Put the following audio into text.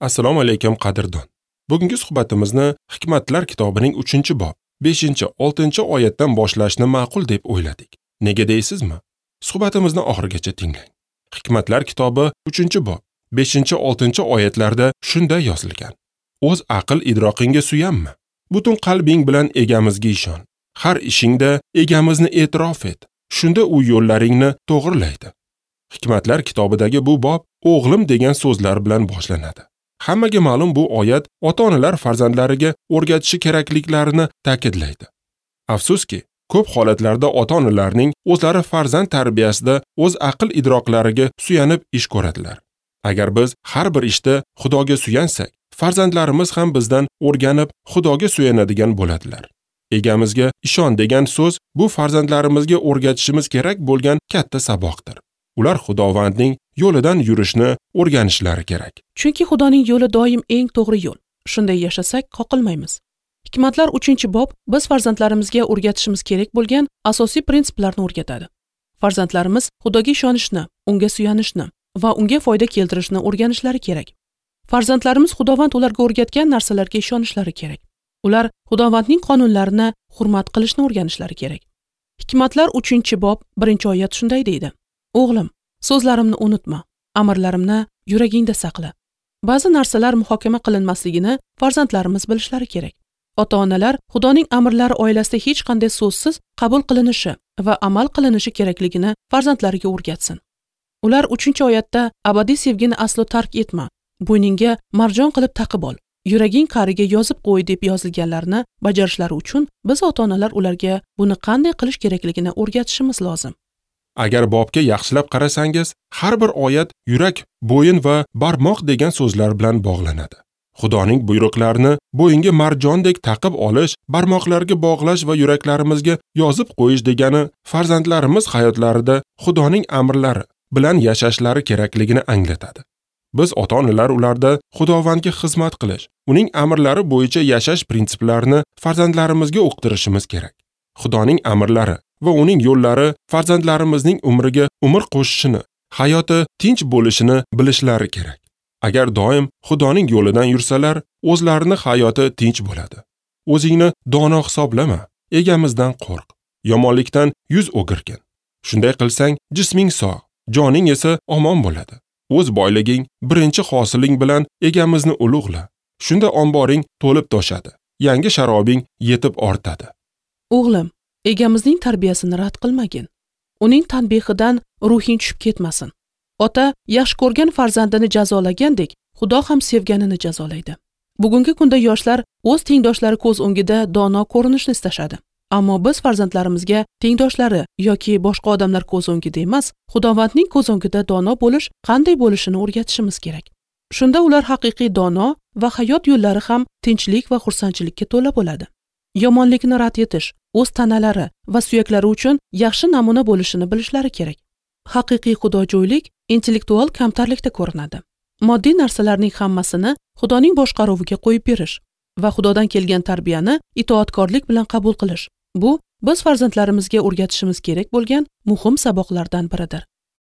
Assalomu alaykum qadrdon. Bugungi suhbatimizni Hikmatlar kitobining 3-bob 5-6 oyatdan boshlashni ma'qul deb o'yladik. Nega deysizmi? Suhbatimizni oxirigacha tinglang. Hikmatlar kitobi 3-bob 5-6 oyatlarda shunday yozilgan: O'z aql idroqingga suyanma. Butun qalbing bilan egamizga ishon. Har ishingda egamizni e'tirof et. Shunda u yo'llaringni to'g'rilaydi. Hikmatlar kitobidagi bu bob o'g'lim degan so'zlar bilan boshlanadi. Hammaga ma'lum bu oyat ota-onalar farzandlariga o'rgatishi kerakliklarini ta'kidlaydi. Afsuski, ko'p holatlarda ota-onalarning o'zlari farzand tarbiyasida o'z aql idroqlariga suyanib ish ko'radilar. Agar biz har bir ishda Xudoga suyansak, farzandlarimiz ham bizdan o'rganib Xudoga suyanadigan bo'ladilar. Egamizga ishon degan so'z bu farzandlarimizga o'rgatishimiz kerak bo'lgan katta saboqdir. Ular Xudovandning yo'lidan yurishni o'rganishlari kerak. Chunki Xudoning yo'li doim eng to'g'ri yo'l. Shunday yashasak, qoqilmaymiz. Hikmatlar 3-bob biz farzandlarimizga o'rgatishimiz kerak bo'lgan asosiy prinsiplarni o'rgatadi. Farzandlarimiz Xudoga ishonishni, unga suyanishni va unga foyda keltirishni o'rganishlari kerak. Farzandlarimiz Xudovand ularga o'rgatgan narsalarga ishonishlari kerak. Ular Xudovandning qonunlarini hurmat qilishni o'rganishlari kerak. Hikmatlar 3-bob 1-oyat shunday deydi: O'g'lim, so'zlarimni unutma, amrlarimni yuragingda saqla. Ba'zi narsalar muhokama qilinmasligini farzandlarimiz bilishlari kerak. Ota-onalar Xudoning amrlari oilasida hech qanday so'zsiz qabul qilinishi va amal qilinishi kerakligini farzandlariga o'rgatsin. Ular 3-oyatda abadiy sevgini aslo tark etma, bo'yningga marjon qilib taqib ol, yuraging qa'riga yozib qo'y deb yozilganlarni bajarishlari uchun biz ota-onalar ularga buni qanday qilish kerakligini o'rgatishimiz lozim. Agar bobga yaxshilab qarasangiz, har bir oyat yurak, bo'yin va barmoq degan so'zlar bilan bog'lanadi. Xudoning buyruqlarini bo'yinga marjondek taqib olish, barmoqlarga bog'lash va yuraklarimizga yozib qo'yish degani farzandlarimiz hayotlarida Xudoning amrlari bilan yashashlari kerakligini anglatadi. Biz ota-onalar ularda Xudovandga xizmat qilish, uning amrlari bo'yicha yashash prinsiplarini farzandlarimizga uqtirishimiz kerak. Xudoning amrlari va uning yo'llari farzandlarimizning umriga umr qo'shishini, hayoti tinch bo'lishini bilishlari kerak. Agar doim Xudoning yo'lidan yursalar, o'zlarini hayoti tinch bo'ladi. O'zingni dono hisoblama, egamizdan qo'rq. Yomonlikdan yuz o'girgin. Shunday qilsang, jisming sog', joning esa omon bo'ladi. O'z boyliging, birinchi hosiling bilan egamizni ulug'la. Shunda omboring to'lib toshadi. Yangi sharobing yetib ortadi. O'g'lim, egamizning tarbiyasini rad qilmagin. Uning tanbehidan ruhing tushib ketmasin. Ota yaxshi ko'rgan farzandini jazolagandek, Xudo ham sevganini jazolaydi. Bugungi kunda yoshlar o'z tengdoshlari ko'z o'ngida dono ko'rinishni istashadi. Ammo biz farzandlarimizga tengdoshlari yoki boshqa odamlar ko'z o'ngida emas, Xudovandning ko'z o'ngida dono bo'lish qanday bo'lishini o'rgatishimiz kerak. Shunda ular haqiqiy dono va hayot yo'llari ham tinchlik va xursandchilikka to'la bo'ladi. Yomonlikni rad etish, o'z tanalari va suyaklari uchun yaxshi namuna bo'lishini bilishlari kerak. Haqiqiy xudojo'ylik intellektual kamtarlikda ko'rinadi. Moddiy narsalarning hammasini Xudoning boshqaruviga qo'yib berish va Xudodan kelgan tarbiyani itoatkorlik bilan qabul qilish. Bu biz farzandlarimizga o'rgatishimiz kerak bo'lgan muhim saboqlardan biridir.